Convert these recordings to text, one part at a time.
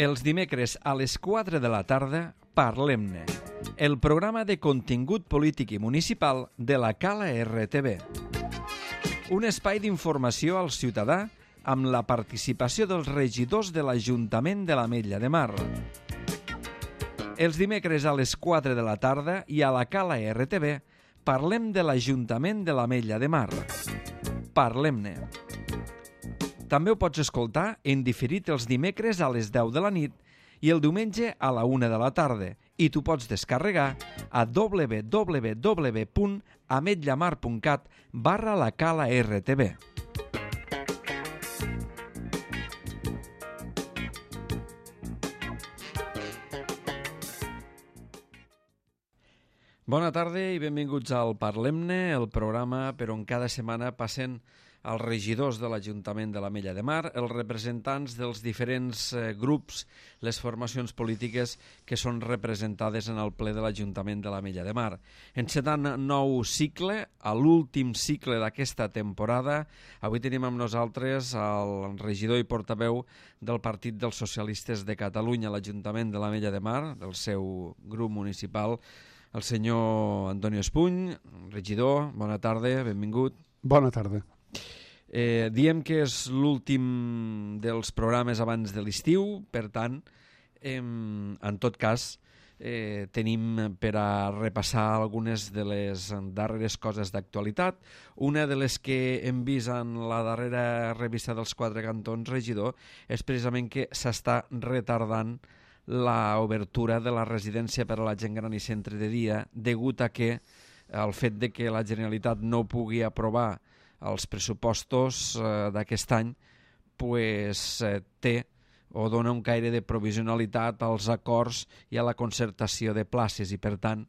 Els dimecres a les 4 de la tarda, Parlem-ne, el programa de contingut polític i municipal de la Cala RTV. Un espai d'informació al ciutadà amb la participació dels regidors de l'Ajuntament de l'Ametlla de Mar. Els dimecres a les 4 de la tarda i a la Cala RTV parlem de l'Ajuntament de l'Ametlla de Mar. Parlem-ne. També ho pots escoltar en diferit els dimecres a les 10 de la nit i el diumenge a la 1 de la tarda i t'ho pots descarregar a www.ametllamar.cat/la Cala RTV. Bona tarda i benvinguts al Parlem-ne, el programa per on cada setmana passen els regidors de l'Ajuntament de l'Ametlla de Mar, els representants dels diferents grups, les formacions polítiques que són representades en el ple de l'Ajuntament de l'Ametlla de Mar. Encetant nou cicle, a l'últim cicle d'aquesta temporada, avui tenim amb nosaltres el regidor i portaveu del Partit dels Socialistes de Catalunya a l'Ajuntament de l'Ametlla de Mar, del seu grup municipal, el senyor Antonio Espuny. Regidor, bona tarda, benvingut. Bona tarda. Diem que és l'últim dels programes abans de l'estiu, per tant, en tot cas, tenim per a repassar algunes de les darreres coses d'actualitat. Una de les que hem vist en la darrera revista dels Quatre Cantons, regidor, és precisament que s'està retardant l'obertura de la residència per a la gent gran i centre de dia degut a que el fet de que la Generalitat no pugui aprovar els pressupostos d'aquest any té o dona un caire de provisionalitat als acords i a la concertació de places i per tant,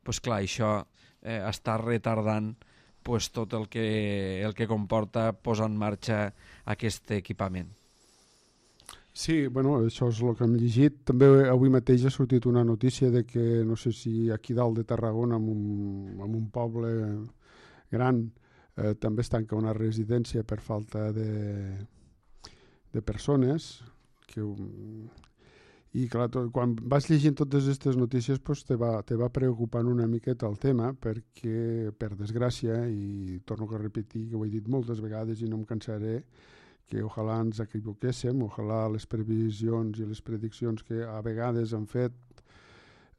clar, això està retardant tot el que comporta posar en marxa aquest equipament. Sí, això és el que hem llegit. També avui mateix ha sortit una notícia de que, no sé si aquí dalt de Tarragona, en un poble gran, també es tanca una residència per falta de persones. I clar, quan vas llegint totes aquestes notícies te va preocupant una miqueta el tema perquè, per desgràcia, i torno a repetir que ho he dit moltes vegades i no em cansaré, que ojalà ens equivoquéssim, ojalà les previsions i les prediccions que a vegades han fet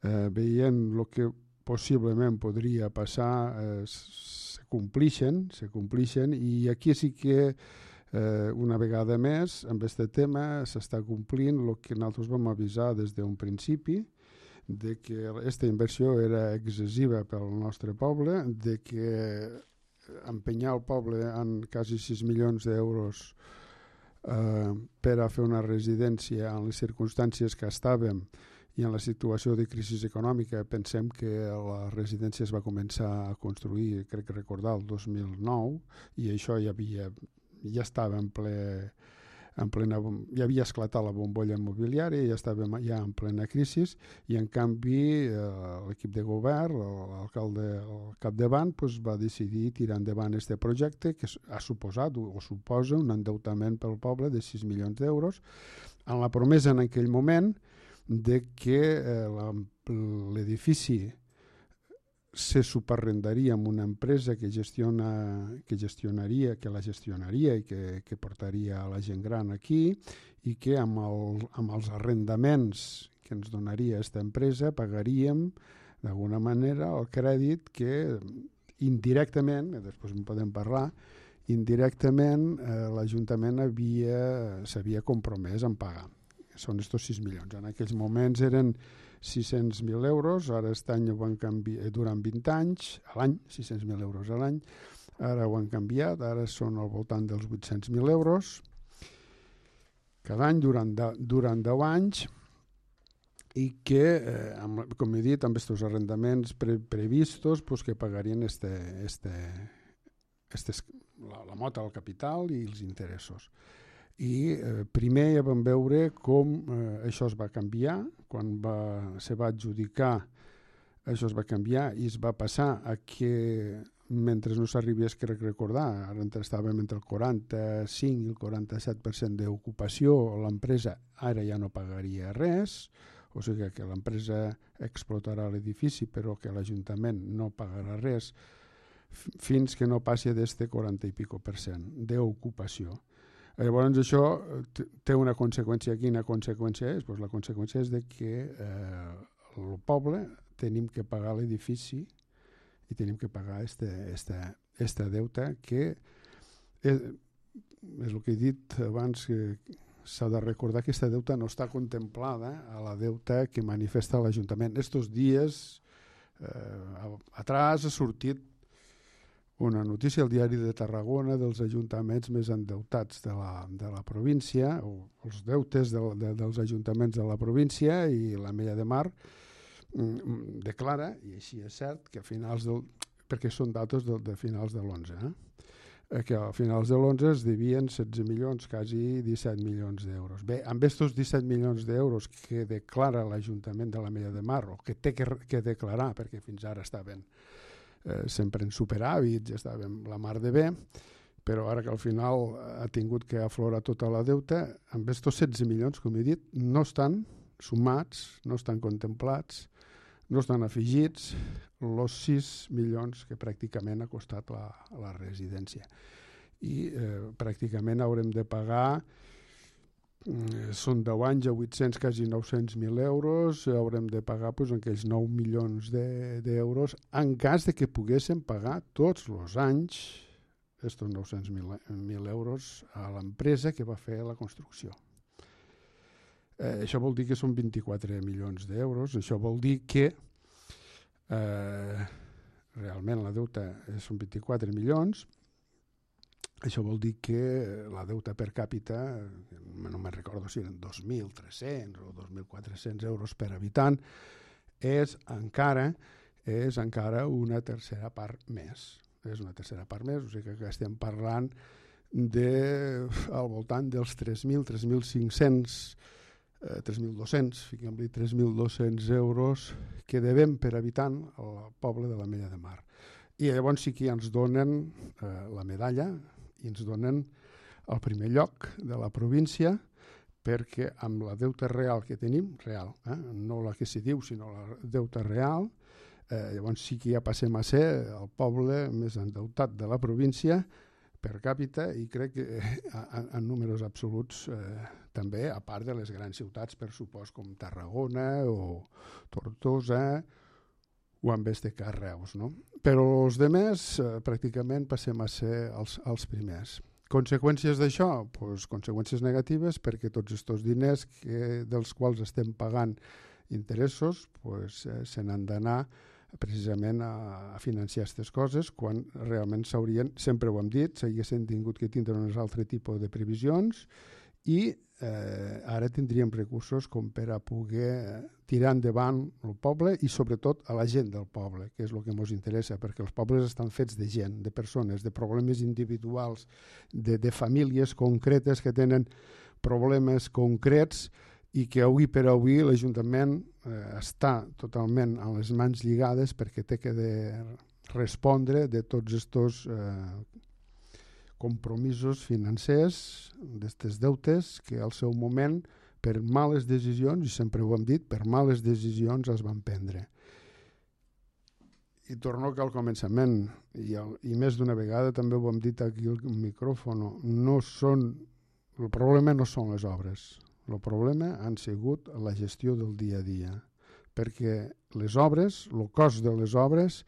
veient el que possiblement podria passar se complixen i aquí sí que una vegada més amb aquest tema s'està complint el que nosaltres vam avisar des d'un principi, de que aquesta inversió era excessiva pel nostre poble, de que empenyar el poble en quasi 6 milions d'euros per a fer una residència en les circumstàncies que estàvem i en la situació de crisi econòmica. Pensem que la residència es va començar a construir, crec recordar, el 2009 i això ja estava ja havia esclatat la bombolla immobiliària, ja estàvem ja en plena crisi i en canvi l'equip de govern, l'alcalde al capdavant, va decidir tirar endavant aquest projecte que ha suposat o suposa un endeutament pel poble de 6 milions d'euros amb la promesa en aquell moment de que l'edifici se subarrendaria amb una empresa que la gestionaria i que portaria la gent gran aquí i que amb els arrendaments que ens donaria aquesta empresa pagaríem d'alguna manera el crèdit que indirectament, després en podem parlar, indirectament l'Ajuntament s'havia compromès en pagar. Són estos 6 milions. En aquells moments eren 600.000 euros, ara aquest any ho han canviat, durant 20 anys, a l'any, 600.000 euros a l'any, ara ho han canviat, ara són al voltant dels 800.000 euros cada any durant 10 anys i que, com he dit, amb aquests arrendaments previstos que pagarien la mota al capital i els interessos. I primer ja vam veure com això es va canviar, quan se va adjudicar això es va canviar i es va passar a que mentre no s'arribés, crec recordar, ara estàvem entre el 45 i el 47% d'ocupació, l'empresa ara ja no pagaria res, o sigui que l'empresa explotarà l'edifici però que l'Ajuntament no pagarà res fins que no passi d'este 40 i pico % d'ocupació. Llavors això té una conseqüència. Quina conseqüència és? Pues la conseqüència és de que el poble tenim que pagar l'edifici i tenim que pagar este deute que és el que he dit abans, que s'ha de recordar que aquesta deuta no està contemplada a la deuta que manifesta l'Ajuntament. Estos dies atrás ha sortit una notícia al diari de Tarragona dels ajuntaments més endeutats de la província, o els deutes dels ajuntaments de la província, i l'Ametlla de Mar declara, i així és cert, que a finals perquè són datos de finals de l'11, que a finals de l'11 es devien 16 milions, quasi 17 milions d'euros. Bé, amb aquests 17 milions d'euros que declara l'Ajuntament de l'Ametlla de Mar, o que té que declarar, perquè fins ara estaven sempre en superàvits, estàvem la mar de bé, però ara que al final ha tingut que aflorar tota la deuta, amb aquests 16 milions, com he dit, no estan sumats, no estan contemplats, no estan afegits els 6 milions que pràcticament ha costat la residència. I pràcticament haurem de pagar, són 10 anys a 800, quasi 900.000 euros, haurem de pagar aquells 9 milions d'euros en cas de que poguéssim pagar tots els anys aquests 900.000 euros a l'empresa que va fer la construcció. Això vol dir que són 24 milions d'euros, això vol dir que realment la deuta són 24 milions. Això vol dir que la deuta per càpita, no me'n recordo si eren 2.300 o 2.400 euros per habitant, és encara una tercera part més. És una tercera part més, o sigui que estem parlant al voltant dels 3.000, 3.500, 3.200, fiquem-li 3.200 euros que devem per habitant al poble de l'Ametlla de Mar. I llavors sí que ens donen la medalla, i ens donen el primer lloc de la província, perquè amb la deuta real que tenim, real, no la que s'hi diu, sinó la deuta real, llavors sí que ja passem a ser el poble més endeutat de la província per càpita, i crec que en números absoluts també, a part de les grans ciutats, per supost, com Tarragona o Tortosa, o amb Reus, no? Però els demés pràcticament passem a ser els primers. Conseqüències d'això? Pues, conseqüències negatives, perquè tots aquests diners dels quals estem pagant interessos se n'han d'anar precisament a financiar aquestes coses, quan realment s'haurien, sempre ho hem dit, s'haguessin tingut que tindre un altre tipus de previsions, i ara tindríem recursos com per a poder tirar endavant el poble i sobretot a la gent del poble, que és el que ens interessa, perquè els pobles estan fets de gent, de persones, de problemes individuals, de famílies concretes que tenen problemes concrets, i que avui per avui l'Ajuntament està totalment a les mans lligades perquè té que respondre de tots aquests compromisos financers, d'aquestes deutes que al seu moment, per males decisions, i sempre ho hem dit, per males decisions es van prendre. I torno que al començament, i més d'una vegada també ho hem dit aquí al micròfon, el problema no són les obres, el problema han sigut la gestió del dia a dia, perquè les obres, el cost de les obres,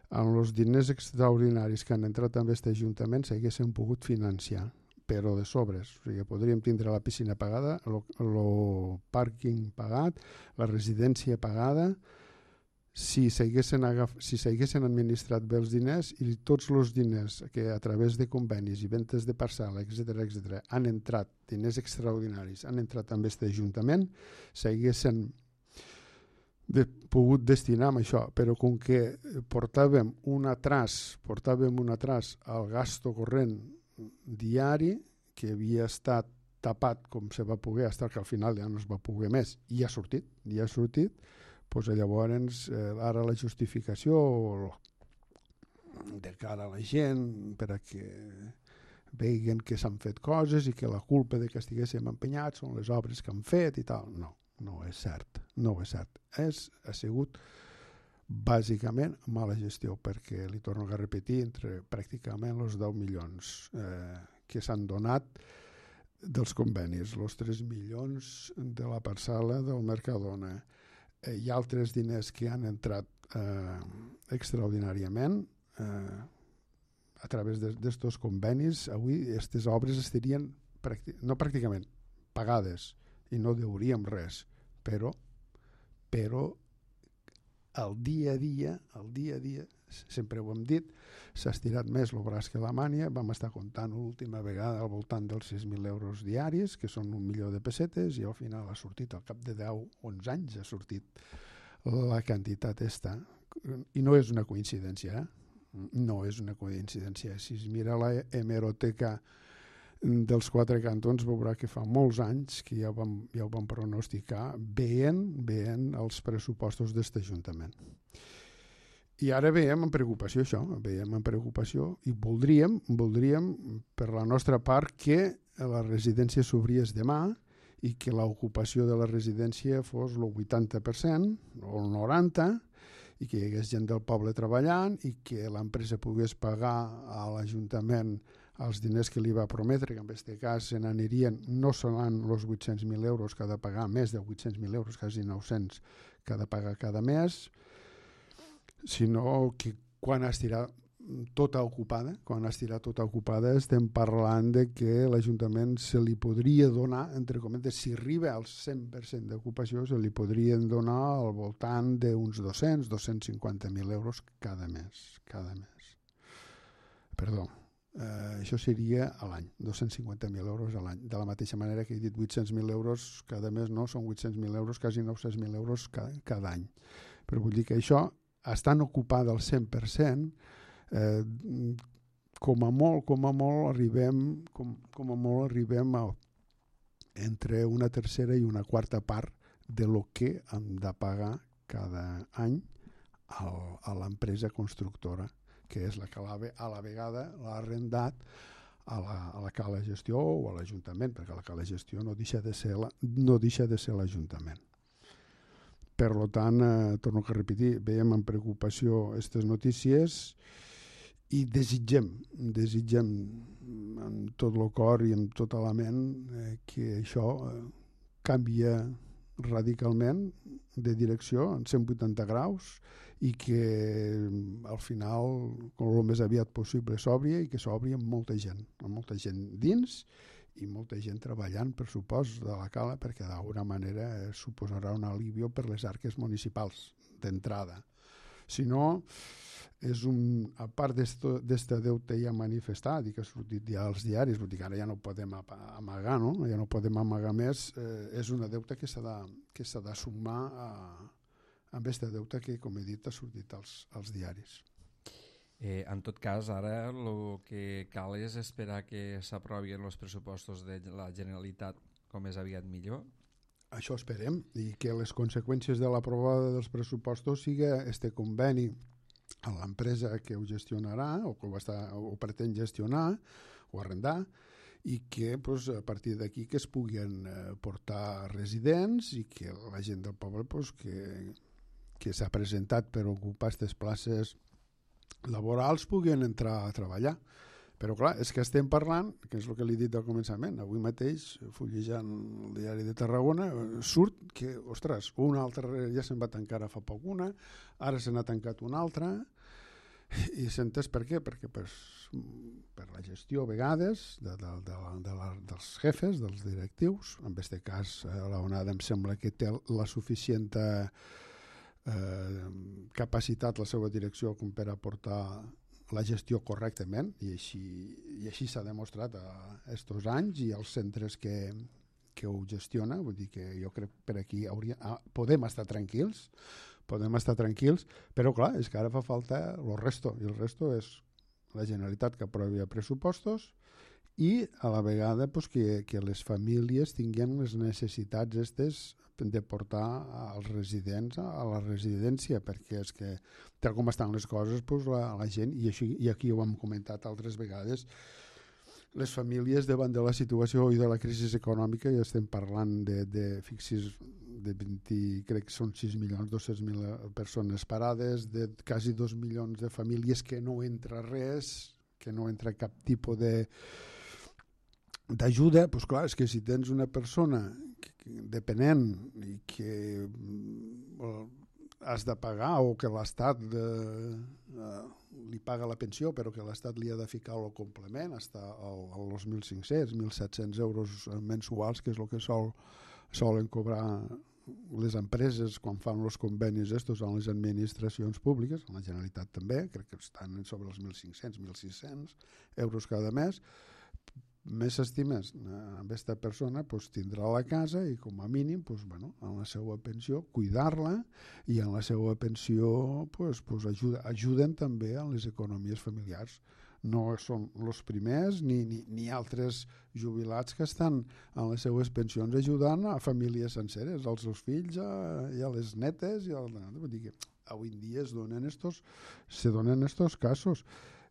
amb els diners extraordinaris que han entrat en aquest Ajuntament s'haguessin pogut financiar, però de sobres. O sigui, podríem tindre la piscina pagada, el pàrquing pagat, la residència pagada, si s'haguessin administrat bé els diners, i tots els diners que a través de convenis i ventes de parcel·la, etc., han entrat, diners extraordinaris, han entrat en aquest Ajuntament, s'haguessin pogut destinar amb això, però com que portàvem un atras al gasto corrent diari, que havia estat tapat com se va poder, fins que al final ja no es va poder més, i ha sortit, doncs llavors ara la justificació, de cara a la gent, per a que veguen que s'han fet coses i que la culpa de que estiguéssim empenyats són les obres que han fet i tal. No, no és cert. No és cert. Ha sigut bàsicament mala gestió, perquè li torno a repetir, entre pràcticament els 10 milions que s'han donat dels convenis, els 3 milions de la parcel·la del Mercadona, hi ha altres diners que han entrat extraordinàriament a través d'estos convenis. Avui aquestes obres estarien no pràcticament pagades i no deuríem res, però el dia a dia, sempre ho hem dit, s'ha estirat més el braç que la mània. Vam estar comptant l'última vegada al voltant dels 6.000 euros diaris, que són 1 milió de pessetes, i al final ha sortit, al cap de 10-11 anys, ha sortit la quantitat esta. I no és una coincidència, no és una coincidència. Si es mira la hemeroteca dels 4 cantons, veurà que fa molts anys que ja ho vam pronosticar veient els pressupostos d'aquest Ajuntament. I ara veiem amb preocupació això, i voldríem per la nostra part que la residència s'obrís demà i que l'ocupació de la residència fos el 80% o el 90%, i que hi hagués gent del poble treballant i que l'empresa pogués pagar a l'Ajuntament els diners que li va prometre, que en aquest cas se n'anirien, no seran els 800.000 euros que ha de pagar, més de 800.000 euros, quasi 900 que ha de pagar cada mes, sinó que quan estirà tota ocupada, estem parlant de que l'Ajuntament se li podria donar, entre cometes, si arriba al 100% d'ocupació, se li podrien donar al voltant d'uns 250.000 euros cada mes. Perdó, això seria a l'any, 250.000 euros a l'any. De la mateixa manera que he dit 800.000 euros cada mes, no, són 800.000 euros, quasi 900.000 euros cada any. Però vull dir que això, estant ocupada al 100%, com a molt arribem a entre una tercera i una quarta part de lo que hem de pagar cada any a l'empresa constructora, que és la que a la vegada l'ha arrendat a la Cala Gestió o a l'Ajuntament, perquè la Cala Gestió no deixa de ser l'Ajuntament. Per tant, torno a repetir, veiem amb preocupació aquestes notícies i desitgem amb tot el cor i amb tota la ment que això canvia radicalment de direcció en 180 graus i que al final, com el més aviat possible, s'obri i que s'obri amb molta gent dins i molta gent treballant, per supost, de la Cala, perquè d'alguna manera suposarà un alivio per les arques municipals d'entrada. Si no, a part d'este deute ja manifestat i que ha sortit ja als diaris, vull dir que ara ja no podem amagar, no? Ja no podem amagar més, és una deuta que s'ha de sumar amb este deute que, com he dit, ha sortit als diaris. En tot cas, ara el que cal és esperar que s'aprovin els pressupostos de la Generalitat com més aviat millor. Això esperem, i que les conseqüències de l'aprovada dels pressupostos siga este conveni a l'empresa que ho gestionarà o que ho pretén gestionar o arrendar, i que a partir d'aquí que es puguin portar residents i que la gent del poble que s'ha presentat per ocupar aquestes places laborals puguin entrar a treballar. Però clar, és que estem parlant, que és el que li he dit al començament, avui mateix, fullejant el diari de Tarragona, surt que, ostres, una altra ja se'n va tancar fa poc una, ara se n'ha tancat una altra, i s'entès per què? Perquè per la gestió a vegades dels jefes, dels directius, en aquest cas l'ONAD em sembla que té la suficient capacitat la seva direcció com per aportar la gestió correctament, i així s'ha demostrat estos anys i els centres que ho gestiona. Vull dir que jo crec que per aquí podem estar tranquils, però clar, és que ara fa falta el resto, i el resto és la Generalitat que aprovi pressupostos i a la vegada pues, que les famílies tinguin les necessitats aquestes de portar als residents a la residència, perquè és que tal com estan les coses pues, la gent, i aquí ho hem comentat altres vegades, les famílies davant de la situació i de la crisi econòmica, ja estem parlant fixis, de 20, crec que són 6.200.000 persones parades, de quasi 2 milions de famílies que no entra res, que no entra cap tipus d'ajuda. Doncs clar, és que si tens una persona depenent i que has de pagar o que l'Estat li paga la pensió però que l'Estat li ha de ficar el complement està als 1.500, 1.700 euros mensuals, que és el que solen cobrar les empreses quan fan els convenis estos en les administracions públiques, en la Generalitat també, crec que estan sobre els 1.500, 1.600 euros cada mes. Més estimes amb aquesta persona pues, tindrà la casa i com a mínim pues, bueno, en la seva pensió cuidar-la i en la seva pensió pues, ajuden també a les economies familiars. No són els primers ni altres jubilats que estan en les seues pensions ajudant a famílies senceres, als seus fills i a les netes. Vull dir que avui en dia se donen estos casos.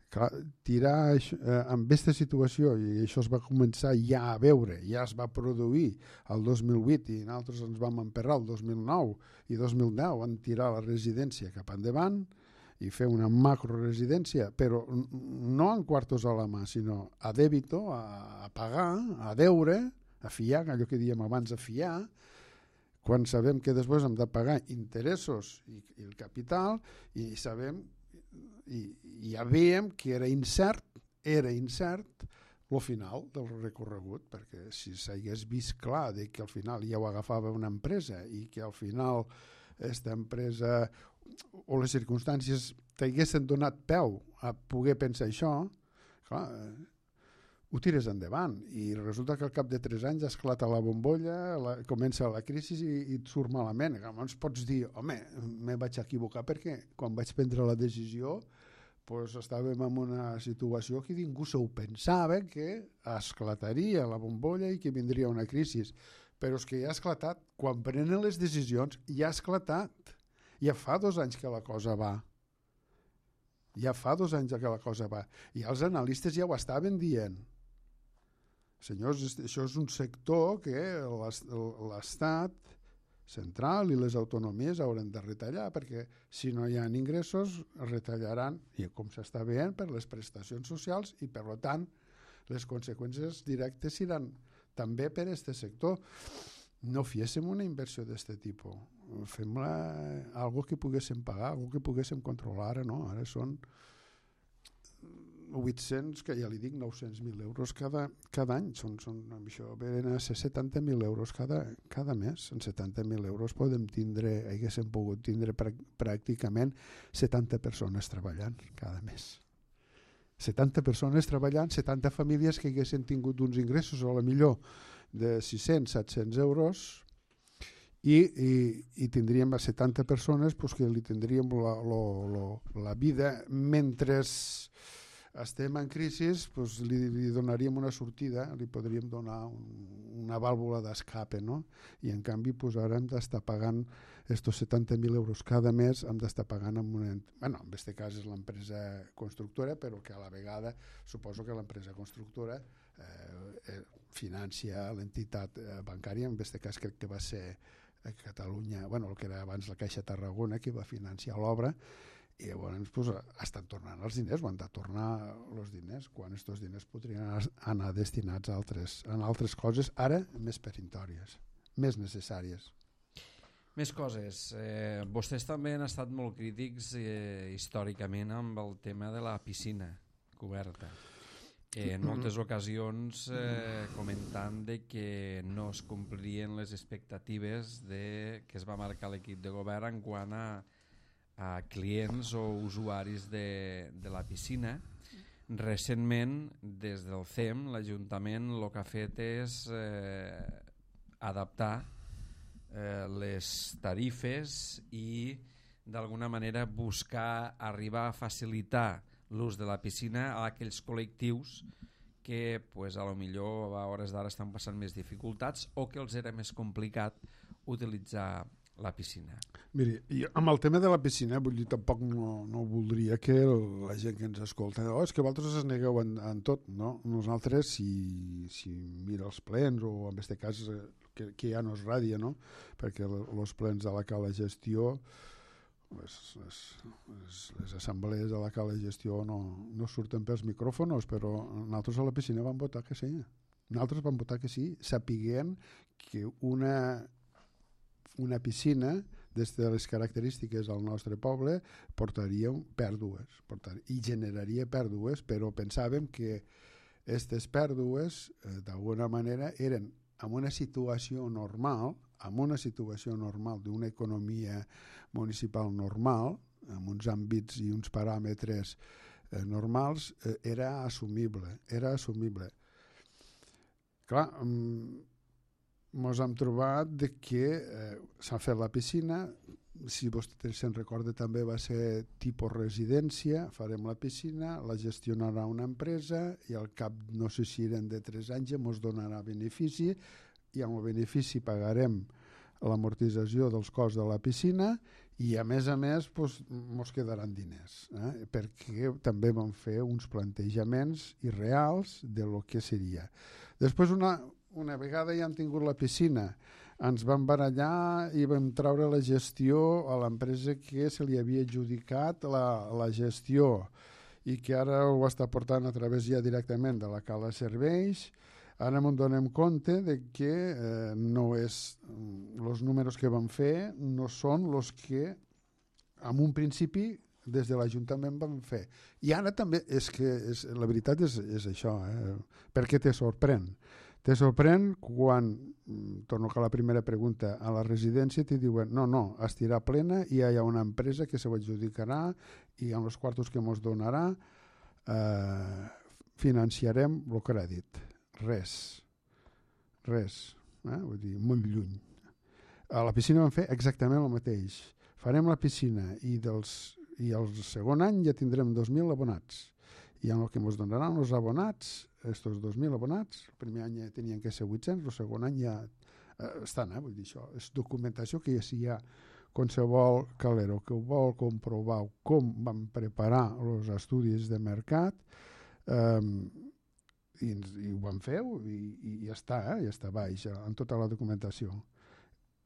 Clar, tirar amb aquesta situació, i això es va començar ja a veure, ja es va produir el 2008 i nosaltres ens vam emperrar el 2009 i 2010 en tirar la residència cap endavant i fer una macroresidència, però no en quartos a la mà, sinó a débito, a pagar, a deure, a fiar, allò que dèiem abans, a fiar, quan sabem que després hem de pagar interessos i el capital i sabem i ja veiem que era incert el final del recorregut, perquè si s'hagués vist clar de que al final ja ho agafava una empresa i que al final aquesta empresa o les circumstàncies t'haguessin donat peu a poder pensar això, clar, ho tires endavant i resulta que al cap de 3 anys esclata la bombolla, comença la crisi i et surt malament. Llavors pots dir, home, me vaig equivocar perquè quan vaig prendre la decisió pues, estàvem en una situació que ningú s'ho pensava que esclataria la bombolla i que vindria una crisi. Però és que ja ha esclatat. Quan prenen les decisions ja ha esclatat. Ja fa 2 anys que la cosa va. Ja fa 2 anys que la cosa va. I els analistes ja ho estaven dient. Senyors, això és un sector que l'Estat central i les autonomies hauran de retallar, perquè si no hi ha ingressos retallaran, i com s'està veient, per les prestacions socials i per tant les conseqüències directes seran també per a aquest sector. No fiéssim una inversió d'aquest tipus, fem-la algo que poguéssim pagar, algo que poguéssim controlar. Ara no, ara són 800, que ja li dic, 900.000 euros cada any. Això venen a ser 70.000 euros cada mes. En 70.000 euros haguéssim pogut tindre pràcticament 70 persones treballant cada mes. 70 persones treballant, 70 famílies que haguessin tingut uns ingressos a la millor de 600-700 euros i tindríem a 70 persones pues, que li tindríem la vida mentre estem en crisi, pues, li donaríem una sortida, li podríem donar una vàlvula d'escape, no? I en canvi pues, ara hem d'estar pagant estos 70.000 euros cada mes, hem d'estar pagant en aquest cas és l'empresa constructora, però que a la vegada suposo que l'empresa constructora financia l'entitat bancària, en aquest cas crec que va ser a Catalunya, el que era abans la Caixa Tarragona, que va financiar l'obra, i llavors pues, estan tornant els diners, o han de tornar els diners, quan aquests diners podrien anar destinats a altres coses, ara més perintòries, més necessàries. Més coses. Vostès també han estat molt crítics històricament amb el tema de la piscina coberta. En moltes ocasions comentant de que no es complirien les expectatives que es va marcar l'equip de govern en quant a clients o usuaris de la piscina. Recentment, des del CEM, l'Ajuntament el que ha fet és adaptar les tarifes i d'alguna manera buscar arribar a facilitar l'ús de la piscina a aquells col·lectius que pues, a lo millor a hores d'ara estan passant més dificultats o que els era més complicat utilitzar la piscina. Miri, amb el tema de la piscina, vull dir, tampoc no voldria que la gent que ens escolta és que vosaltres es negueu en tot, no? Nosaltres, si mira els plens, o en aquest cas que ja no és ràdio, no? Perquè els plens de la cala gestió, les assemblees de la cala gestió no surten pels micròfons, però nosaltres a la piscina vam votar que sí. Nosaltres vam votar que sí, sapiguent que una piscina, des de les característiques del nostre poble, portaria pèrdues i generaria pèrdues, però pensàvem que aquestes pèrdues d'alguna manera eren en una situació normal, d'una economia municipal normal, amb uns àmbits i uns paràmetres normals, era assumible. Clar, ens hem trobat que s'ha fet la piscina, si vostè se'n recorda també va ser tipus residència, farem la piscina, la gestionarà una empresa i al cap, no sé si eren de 3 anys, ens donarà benefici i amb el benefici pagarem l'amortització dels costs de la piscina i a més ens quedaran diners, perquè també vam fer uns plantejaments irreals de lo que seria. Després una vegada ja hem tingut la piscina, ens vam barallar i vam treure la gestió a l'empresa que se li havia adjudicat la gestió i que ara ho està portant a través ja directament de la cala serveis. Ara ens donem compte de que els números que vam fer no són els que en un principi des de l'Ajuntament vam fer. I ara també la veritat és això, perquè te sorprèn. Te sorprèn quan, torno a la primera pregunta, a la residència t'hi diuen no, estirà plena i hi ha una empresa que se ho adjudicarà i amb els quartos que ens donarà financiarem el crèdit. Res. Vull dir, molt lluny. A la piscina vam fer exactament el mateix. Farem la piscina i el segon any ja tindrem 2.000 abonats. I en el que ens donaran els abonats, estos 2.000 abonats, el primer any ja tenien que ser 800, el segon any ja estan, vull dir, això és documentació que ja si hi ha qualsevol calero que ho vol comprovar com van preparar els estudis de mercat, i ho vam fer i ja està baix en tota la documentació.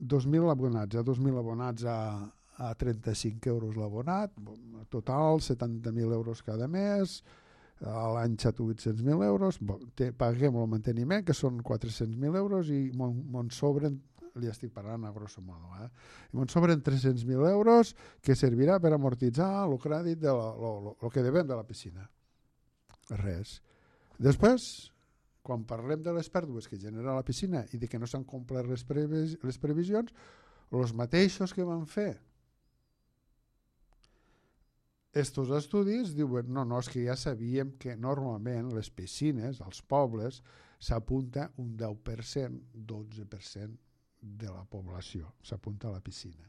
2.000 abonats, 2.000 abonats a 35 euros l'abonat, total 70.000 euros cada mes, a l'any 800.000 euros, paguem el manteniment, que són 400.000 euros, i me'n sobren, li estic parlant a grosso modo, i me'n sobren 300.000 euros que servirà per amortitzar el crèdit el que devem de la piscina. Res. Després, quan parlem de les pèrdues que genera la piscina i de que no s'han complert les previsions, els mateixos que van fer estos estudis diuen no, és que ja sabíem que normalment les piscines, als pobles, s'apunta un 10%, 12% de la població, s'apunta a la piscina.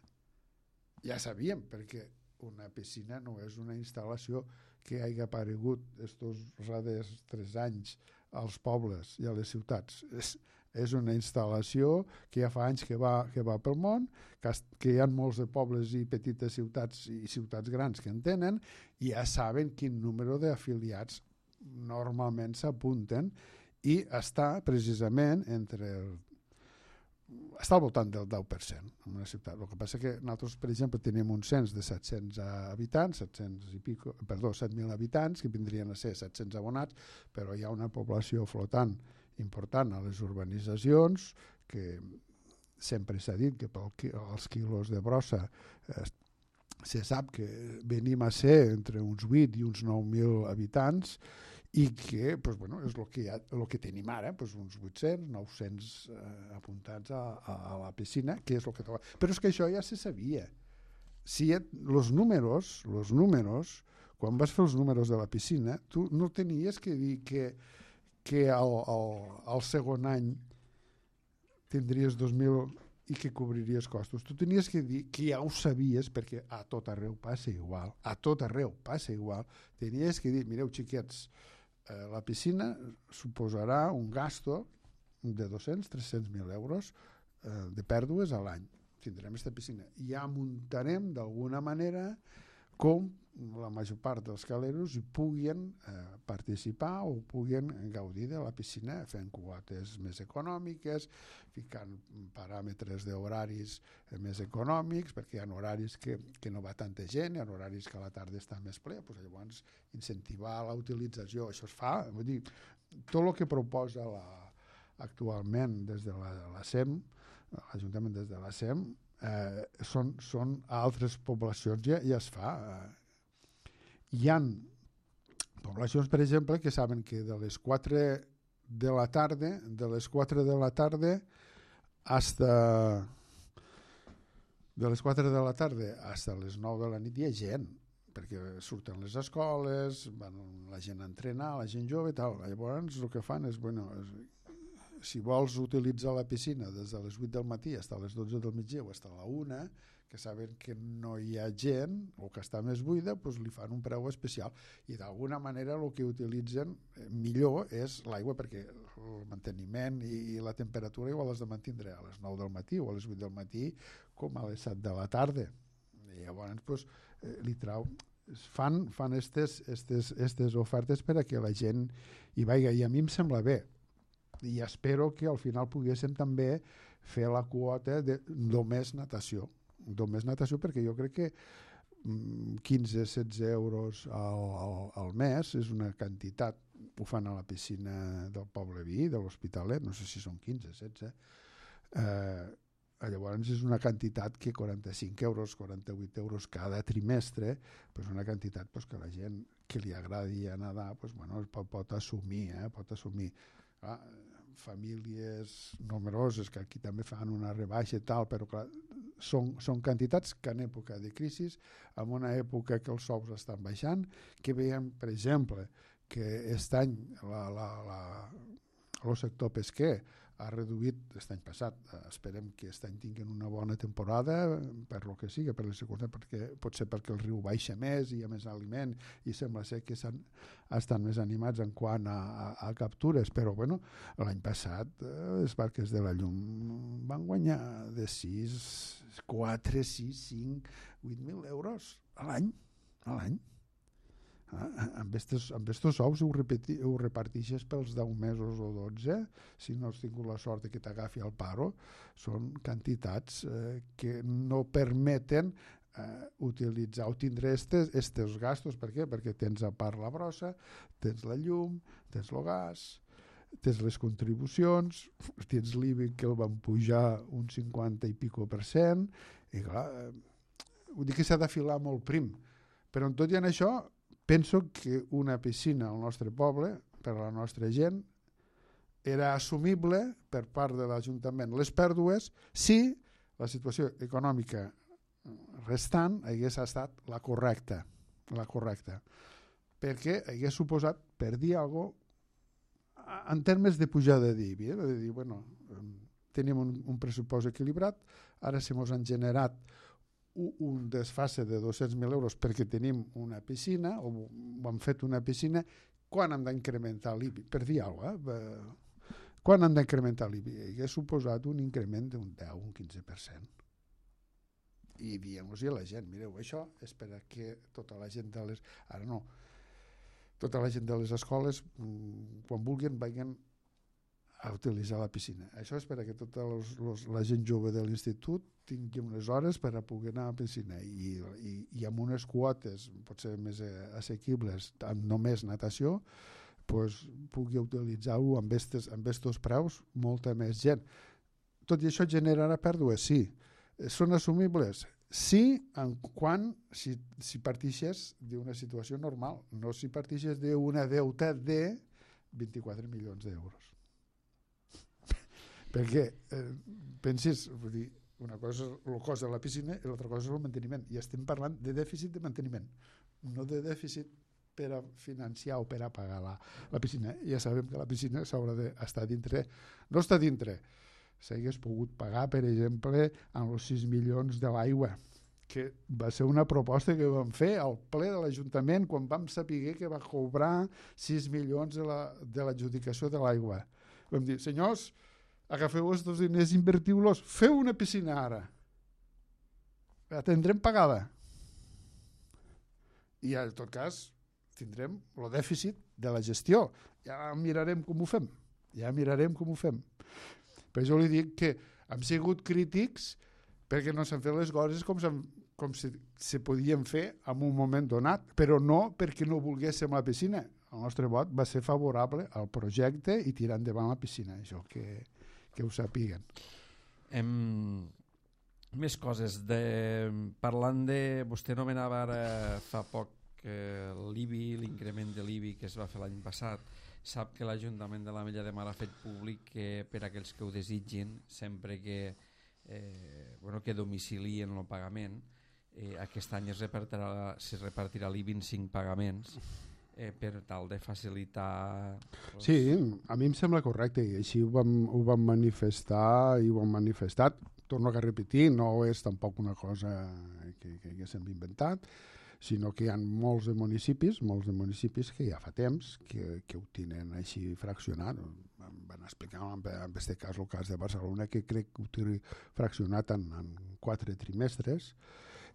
Ja sabíem, perquè una piscina no és una instal·lació que hagi aparegut estos darrers 3 anys als pobles i a les ciutats. És una instal·lació que ja fa anys que va pel món, que hi ha molts de pobles i petites ciutats i ciutats grans que en tenen i ja saben quin número d'afiliats normalment s'apunten i està precisament està al voltant del 10% en una ciutat. El que passa que nosaltres, per exemple, tenim un cens de 700 habitants, 7.000 habitants, que vindrien a ser 700 abonats, però hi ha una població flotant important a les urbanitzacions, que sempre s'ha dit que pels quilos de brossa se sap que venim a ser entre uns 8 i uns 9.000 habitants i que és el que tenim ara, uns 800, 900 apuntats a la piscina, que és el que... Però és que això ja se sabia. Els números, quan vas fer els números de la piscina, tu no tenies que dir que al segon any tindries 2.000 i que cobriries costos. Tu tenies que dir que ja ho sabies, perquè a tot arreu passa igual. Tenies que dir, mireu, xiquets, la piscina suposarà un gasto de 200-300.000 euros de pèrdues a l'any. Tindrem aquesta piscina. I ja muntarem d'alguna manera com la major part dels caleros hi puguin participar o puguin gaudir de la piscina fent quotes més econòmiques, ficant paràmetres d'horaris més econòmics, perquè hi ha horaris que no va tanta gent, hi ha horaris que a la tarda està més ple, doncs llavors incentivar la utilització, això es fa, vull dir, tot el que proposa actualment des de la SEM, l'Ajuntament des de la SEM, són a altres poblacions ja es fa. Hi ha poblacions, per exemple, que saben que de les 4 de la tarda fins les 9 de la nit hi ha gent, perquè surten les escoles, van la gent a entrenar, la gent jove i tal. Llavors el que fan és, si vols utilitzar la piscina des de les 8 del matí fins a les 12 del migdia o fins a la 1, que saben que no hi ha gent o que està més buida, doncs li fan un preu especial. I d'alguna manera el que utilitzen millor és l'aigua, perquè el manteniment i la temperatura igual has de mantindre a les 9 del matí o a les 8 del matí com a les 7 de la tarda. I llavors li fan aquestes ofertes per a que la gent hi vagi. I a mi em sembla bé. I espero que al final poguéssim també fer la quota de només natació, perquè jo crec que 15-16 euros al mes és una quantitat. Ho fan a la piscina del Poble Vi, de l'Hospitalet, no sé si són 15-16. Llavors és una quantitat que 45 euros, 48 euros cada trimestre, és una quantitat que la gent que li agradi a nedar pot assumir. Famílies numeroses que aquí també fan una rebaixa i tal, però clar, són quantitats que en època de crisi, en una època que els sous estan baixant, que veiem, per exemple, que aquest any el sector pesquer ha reduït, aquest any passat, esperem que aquest any tinguin una bona temporada, per lo que sigui, per les circumstàncies, pot ser perquè el riu baixa més, hi ha més aliment i sembla ser que estan més animats en quant a captures, però l'any passat els barques de la llum van guanyar de 4, 6, 5, 8.000 euros a l'any. Amb estos sous ho reparteixes pels 10 mesos o 12, si no has tingut la sort que t'agafi el paro, són quantitats que no permeten utilitzar o tindre estos gastos. Per què? Perquè tens a part la brossa, tens la llum, tens el gas, tens les contribucions, tens l'IBI que el van pujar un 50 i pico %, i clar, vull dir que s'ha d'afilar molt prim, però en tot i en això penso que una piscina al nostre poble, per a la nostra gent, era assumible per part de l'Ajuntament les pèrdues si la situació econòmica restant hagués estat la correcta, perquè hagués suposat, per dir alguna cosa, en termes de pujada d'IBI, de dir, tenim un pressupost equilibrat, ara se mos han generat un desfase de 200.000 euros perquè tenim una piscina o hem fet una piscina, quan hem d'incrementar l'IBI? Per dir alguna cosa, quan hem d'incrementar l'IBI? Hauria suposat un increment d'un 10, un 15%. I diem-los a la gent, mireu, això és per a que tota la gent de les... Ara no, tota la gent de les escoles, quan vulguin, vagin a utilitzar la piscina. Això és per a que tota la gent jove de l'institut tingui unes hores per a poder anar a la piscina i amb unes quotes potser més assequibles, amb només natació, pugui utilitzar-ho amb estos preus molta més gent. Tot i això generarà pèrdues? Sí. Són assumibles? Sí, si partixes d'una situació normal, no si partixes d'una deuta de 24 milions d'euros. Perquè pensis, vull dir, una cosa és el cost de la piscina i l'altra cosa és el manteniment, i estem parlant de dèficit de manteniment, no de dèficit per a financiar o per a pagar la piscina. Ja sabem que la piscina s'haurà d'estar dintre, no està dintre, s'hagués pogut pagar, per exemple, amb els 6 milions de l'aigua que va ser una proposta que vam fer al ple de l'Ajuntament quan vam saber que va cobrar 6 milions de l'adjudicació de l'aigua. Vam dir, senyors, agafeu aquests diners, invertiu-los, feu una piscina ara. La tindrem pagada. I en tot cas tindrem el dèficit de la gestió. Ja mirarem com ho fem. Per això li dic que hem sigut crítics perquè no s'han fet les coses com se podien fer en un moment donat, però no perquè no volguéssim la piscina. El nostre vot va ser favorable al projecte i tirar endavant la piscina, això que ho sàpiguen. Més coses. Parlant de... Vostè nomenava ara fa poc l'IBI, l'increment de l'IBI que es va fer l'any passat. Sap que l'Ajuntament de l'Ametlla de Mar ha fet públic que per a aquells que ho desitgin, sempre que domicilien el pagament, aquest any es repartirà l'IBI en 5 pagaments per tal de facilitar... Sí, a mi em sembla correcte i així ho vam manifestar i ho hem manifestat. Torno a repetir, no és tampoc una cosa que s'hem inventat, sinó que hi ha molts de municipis que ja fa temps que ho tenen així fraccionat. Van explicar en aquest cas el cas de Barcelona, que crec que ho té fraccionat en 4 trimestres.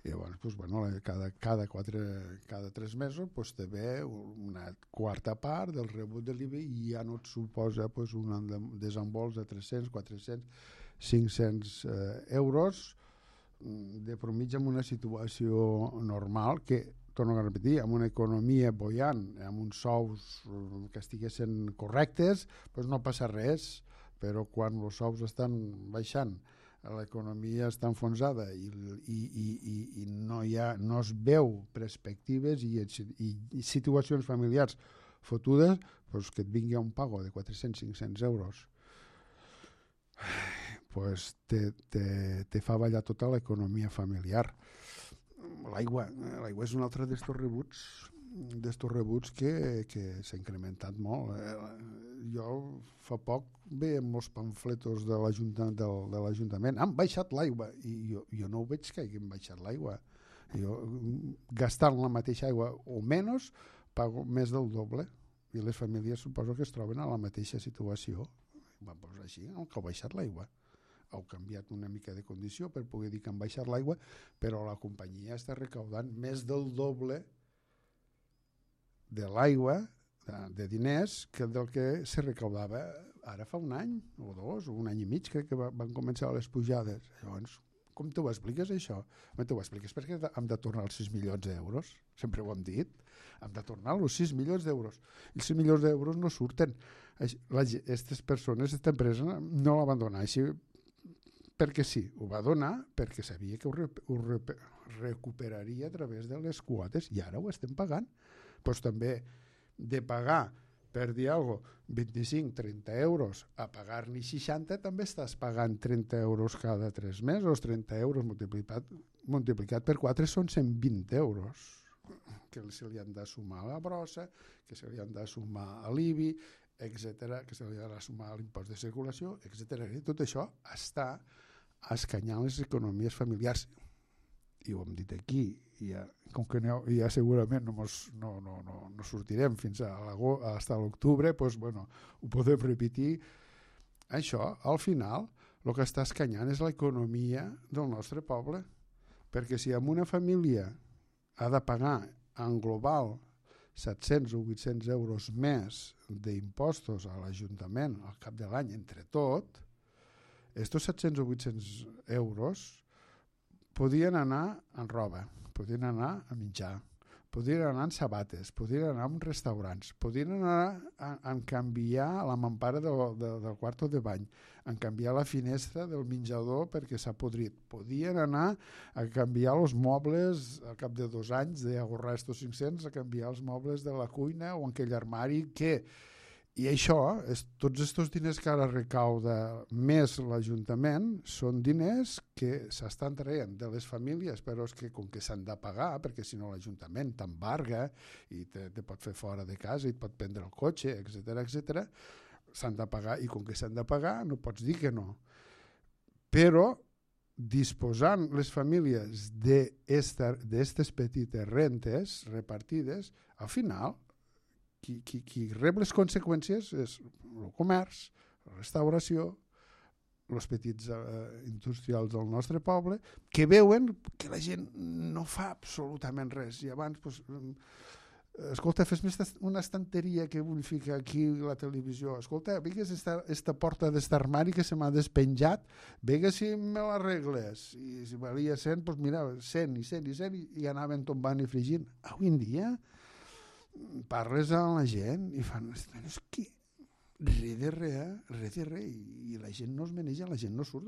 I llavors, cada 3 mesos té una quarta part del rebut de l'IBI i ja no et suposa un desembols de 300, 400, 500 euros de promitja en una situació normal que, torno a repetir, amb una economia bollant, amb uns sous que estiguessin correctes, no passa res, però quan els sous estan baixant, l'economia està enfonsada i no es veu perspectives i situacions familiars fotudes, que et vingui un pago de 400-500 euros te fa ballar tota l'economia familiar. L'aigua és un altre d'estos rebuts que s'ha incrementat molt. Jo fa poc veia molts pamfletos de l'Ajuntament. Han baixat l'aigua i jo no ho veig que hagin baixat l'aigua. Jo, gastant la mateixa aigua o menys, pago més del doble i les famílies suposo que es troben a la mateixa situació. Així, que ha baixat l'aigua. Heu canviat una mica de condició per poder dir que han baixat l'aigua, però la companyia està recaudant més del doble de l'aigua, de diners, que del que se recaudava ara fa un any o 2, o un any i mig, crec que van començar les pujades. Llavors, com t'ho expliques, això? T'ho expliques perquè hem de tornar els 6 milions d'euros, sempre ho hem dit, hem de tornar els 6 milions d'euros. I els 6 milions d'euros no surten. Aquestes persones, aquesta empresa, no la van donar així perquè sí, ho va donar perquè sabia que ho recuperaria a través de les quotes i ara ho estem pagant. Doncs també de pagar, per dir alguna cosa, 25-30 euros a pagar-n'hi 60, també estàs pagant 30 euros cada 3 mesos, 30 euros multiplicat per 4 són 120 euros que se li han de sumar a la brossa, que se li han de sumar a l'IBI, etc., que se li ha de sumar a l'impost de circulació, etc. Tot això està escanyant les economies familiars. I ho hem dit aquí, com que ja segurament no sortirem fins a l'octubre, ho podem repetir. Això, al final, el que està escanyant és l'economia del nostre poble, perquè si en una família ha de pagar en global 700 o 800 euros més d'impostos a l'Ajuntament al cap de l'any entre tot, estos 700 o 800 euros podien anar en roba, podien anar a menjar, podien anar en sabates, podien anar en restaurants, podien anar a canviar la mampara del quarto de bany, a canviar la finestra del menjador perquè s'ha podrit, podien anar a canviar els mobles al cap de 2 anys, d'ahorrar estos 500, a canviar els mobles de la cuina o en aquell armari que... I això, tots aquests diners que ara recauda més l'Ajuntament són diners que s'estan traient de les famílies, però és que com que s'han de pagar, perquè si no l'Ajuntament t'embarga i te pot fer fora de casa i et pot prendre el cotxe, etc., s'han de pagar i com que s'han de pagar no pots dir que no. Però disposant les famílies d'aquestes petites rentes repartides, al final, qui rep les conseqüències és el comerç, la restauració, els petits industrials del nostre poble, que veuen que la gent no fa absolutament res. I abans, escolta, fes-me una estanteria que vull ficar aquí a la televisió. Escolta, vegues esta porta d'este armari que se m'ha despenjat, vegues si me l'arregles. I si valia 100, doncs mira, 100 i 100 i 100 i anaven tombant i fregint. Avui en dia parles amb la gent i fan... És que res de res, i la gent no es maneja, la gent no surt.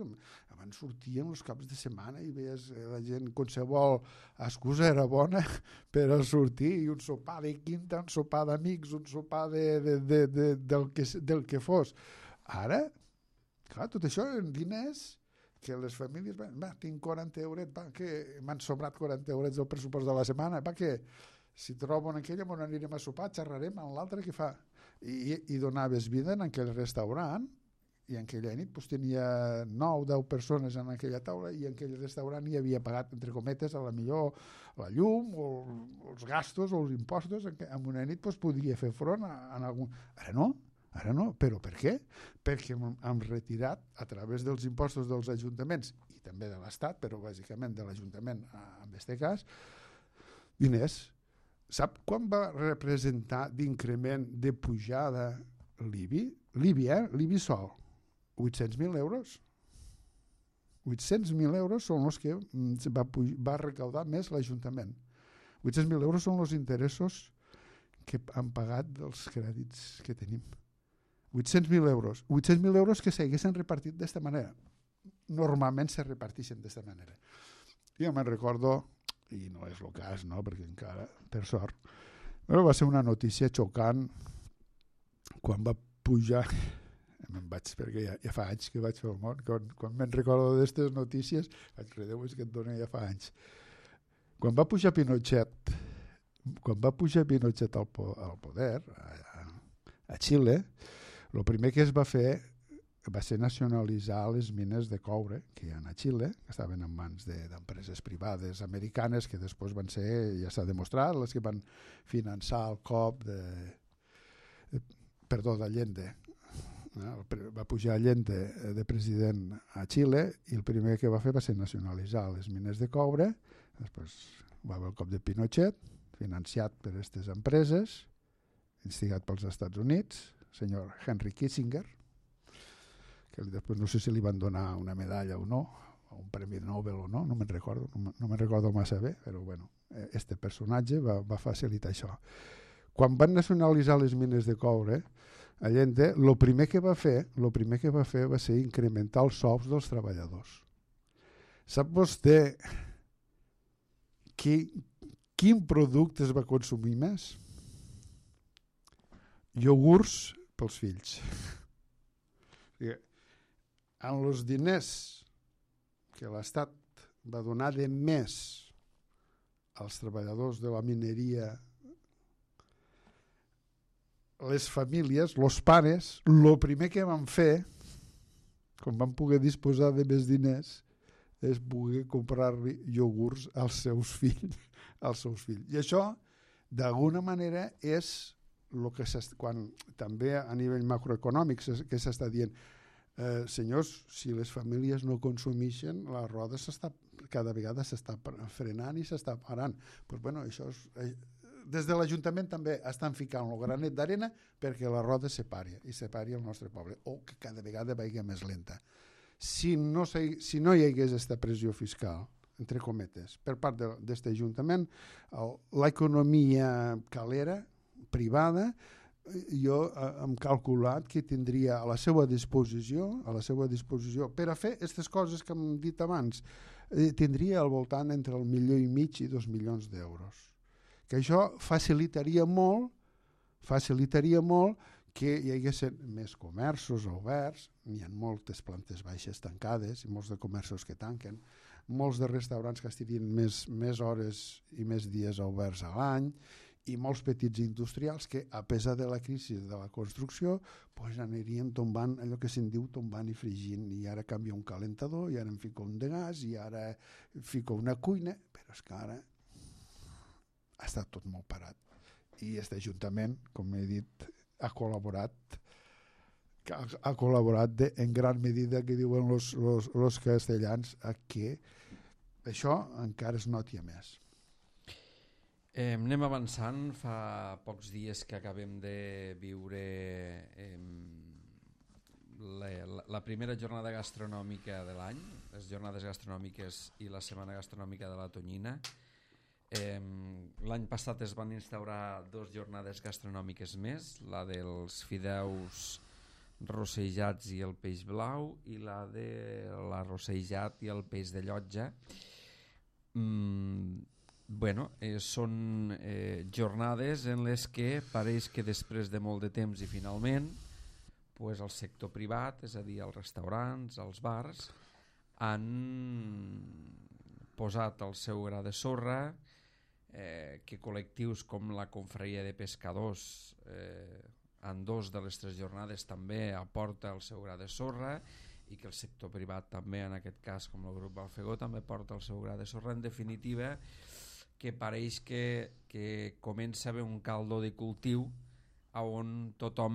Abans sortíem els caps de setmana i veies la gent, qualsevol excusa era bona per a sortir, i un sopar de quinta, un sopar d'amics, un sopar del que fos. Ara, clar, tot això en diners que les famílies, tinc 40 eurets, que m'han sobrat 40 eurets del pressupost de la setmana, que si trobo en aquella on anirem a sopar, xerrarem amb l'altre que fa. I donaves vida en aquell restaurant, i en aquella nit tenia 9 o 10 persones en aquella taula, i en aquell restaurant hi havia pagat, entre cometes, a la millor la llum o els gastos o els impostos. En una nit podia fer front a algun... Ara no. Però per què? Perquè hem retirat, a través dels impostos dels ajuntaments i també de l'Estat, però bàsicament de l'Ajuntament en aquest cas, diners. Sap quan va representar d'increment de pujada l'IBI? L'IBI sol. 800.000 euros. 800.000 euros són els que va recaudar més l'Ajuntament. 800.000 euros són els interessos que han pagat dels crèdits que tenim. 800.000 euros. 800.000 euros que s'haguessin repartit d'esta manera. Normalment se reparteixen d'esta manera. Jo me'n recordo, i no és el cas, no? Perquè encara, per sort, però va ser una notícia xocant quan va pujar, me'n vaig, perquè ja fa anys que vaig fer el món, quan me'n recordo d'aquestes notícies, vaig dir, Déu, és que et dona ja fa anys. Quan va pujar Pinochet al poder, a Xile, el primer que es va fer va ser nacionalitzar les mines de coure que hi ha a Xile, que estaven en mans d'empreses privades americanes, que després van ser, ja s'ha demostrat, les que van finançar el cop d'Allende. Va pujar Allende de president a Xile i el primer que va fer va ser nacionalitzar les mines de coure. Després va haver el cop de Pinochet, financiat per aquestes empreses, instigat pels Estats Units, el senyor Henry Kissinger, que després no sé si li van donar una medalla o no, o un premi Nobel o no, no me'n recordo massa bé, però bueno, este personatge va facilitar això. Quan van nacionalitzar les mines de coure, Allende, el primer que va fer va ser incrementar els sous dels treballadors. Sap vostè quin producte es va consumir més? Iogurts pels fills. En els diners que l'Estat va donar de més als treballadors de la mineria, les famílies, els pares, el primer que van fer, quan van poder disposar de més diners, és poder comprar-li iogurts als seus fills. I això, d'alguna manera, és el que quan també a nivell macroeconòmic que s'està dient, senyors, si les famílies no consumeixen, la roda cada vegada s'està frenant i s'està parant. Pues bueno, això des de l'Ajuntament també estan ficant el granet d'arena perquè la roda se pari el nostre poble, o que cada vegada vagi més lenta. Si no hi hagués aquesta pressió fiscal, entre cometes, per part d'aquest Ajuntament, l'economia calera, privada, jo hem calculat que tindria a la seva disposició per a fer aquestes coses que hem dit abans, tindria al voltant entre $1,5 milions i $2 milions d'euros. Que això facilitaria molt que hi hagués més comerços oberts, n'hi ha moltes plantes baixes tancades i molts de comerços que tanquen, molts de restaurants que estarien més hores i més dies oberts a l'any, i molts petits industrials que, a pesar de la crisi de la construcció, pues anirien tombant, allò que se'n diu tombant i fregint, i ara canvia un calentador, i ara em fico un de gas, i ara fico una cuina, però és que ara ha estat tot molt parat. I aquest Ajuntament, com he dit, ha col·laborat en gran medida, que diuen los castellans, a que això encara es noti a més. Anem avançant. Fa pocs dies que acabem de viure la primera jornada gastronòmica de l'any, les jornades gastronòmiques i la setmana gastronòmica de la Tonyina. L'any passat es van instaurar 2 jornades gastronòmiques més, la dels fideus rossejats i el peix blau, i la de l'arrossejat i el peix de llotja. Són jornades en les que pareix que després de molt de temps i finalment pues el sector privat, és a dir, els restaurants, els bars, han posat el seu gra de sorra, que col·lectius com la Confraria de Pescadors en 2 de les 3 jornades també aporta el seu gra de sorra, i que el sector privat també, en aquest cas com el grup Balfegó, també porta el seu gra de sorra. En definitiva, que pareix que comença a haver un caldo de cultiu on tothom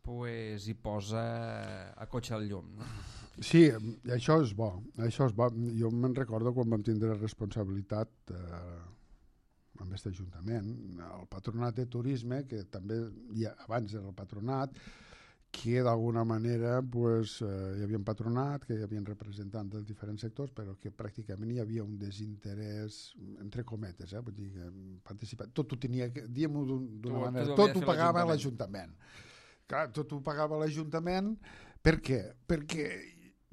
pues, hi posa a cotxe al llum, no? Sí, això és bo. Jo me'n recordo quan vam tindre responsabilitat amb aquest Ajuntament, el Patronat de Turisme, que també abans era el Patronat, que d'alguna manera pues, hi havia un patronat, que hi havia representants dels diferents sectors, però que pràcticament hi havia un desinterès, entre cometes, vull dir, tot ho tenia, diguem-ho d'una manera, tot ho pagava l'Ajuntament. Clar, tot ho pagava l'Ajuntament. Per què? Perquè